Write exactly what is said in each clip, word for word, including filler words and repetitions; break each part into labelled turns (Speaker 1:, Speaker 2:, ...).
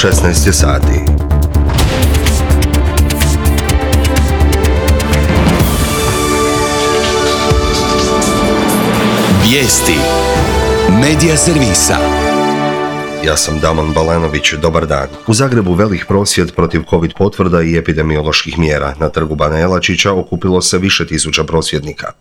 Speaker 1: šesnaest je sati.
Speaker 2: Vijesti Medija servisa.
Speaker 1: Ja sam Damon Balenović, dobar dan. U Zagrebu velik prosvjed protiv covid potvrda i epidemioloških mjera. Na trgu Bana Jelačića okupilo se više tisuća prosvjednika.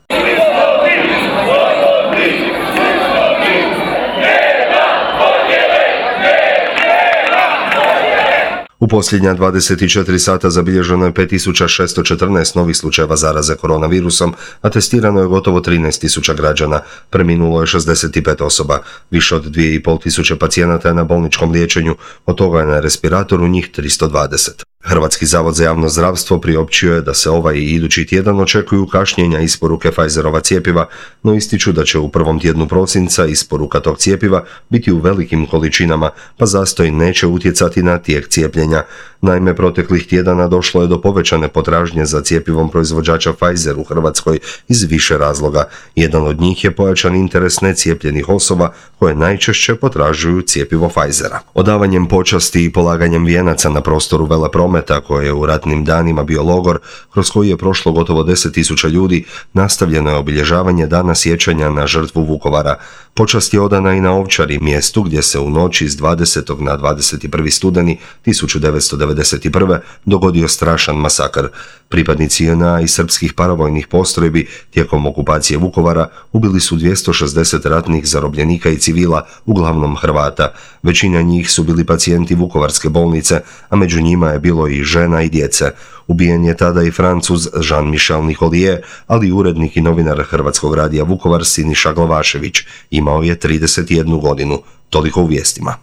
Speaker 1: U posljednja dvadeset četiri sata zabilježeno je pet tisuća šesto četrnaest novih slučajeva zaraze koronavirusom, a testirano je gotovo trinaest tisuća građana. Preminulo je šezdeset pet osoba. Više od dvije i pol tisuće pacijenata je na bolničkom liječenju, od toga je na respiratoru njih tristo dvadeset. Hrvatski zavod za javno zdravstvo priopćio je da se ovaj i idući tjedan očekuju kašnjenja isporuke Pfizerova cjepiva, no ističu da će u prvom tjednu prosinca isporuka tog cjepiva biti u velikim količinama, pa zastoj neće utjecati na tijek cijepljenja. Naime, proteklih tjedana došlo je do povećane potražnje za cjepivom proizvođača Pfizer u Hrvatskoj iz više razloga. Jedan od njih je pojačan interes necijepljenih osoba koje najčešće potražuju cjepivo Pfizera. Odavanjem počasti i polaganjem vijenaca na prostoru Veleprometa, koje je u ratnim danima bio logor, kroz koji je prošlo gotovo deset tisuća ljudi, nastavljeno je obilježavanje dana sjećanja na žrtvu Vukovara. Počast je odana i na Ovčari, mjestu gdje se u noći s dvadesetog na dvadeset prvi studeni tisuću devetsto devedeset prve. dogodio strašan masakr. Pripadnici J N A i srpskih paravojnih postrojbi tijekom okupacije Vukovara ubili su dvjesto šezdeset ratnih zarobljenika i civila, uglavnom Hrvata. Većina njih su bili pacijenti Vukovarske bolnice, a među njima je bilo i žena i djece. Ubijen je tada i Francuz Jean-Michel Nicolier, ali i urednik i novinar Hrvatskog radija Vukovar Siniša Glavašević. Imao je trideset jednu godinu. Toliko u vijestima.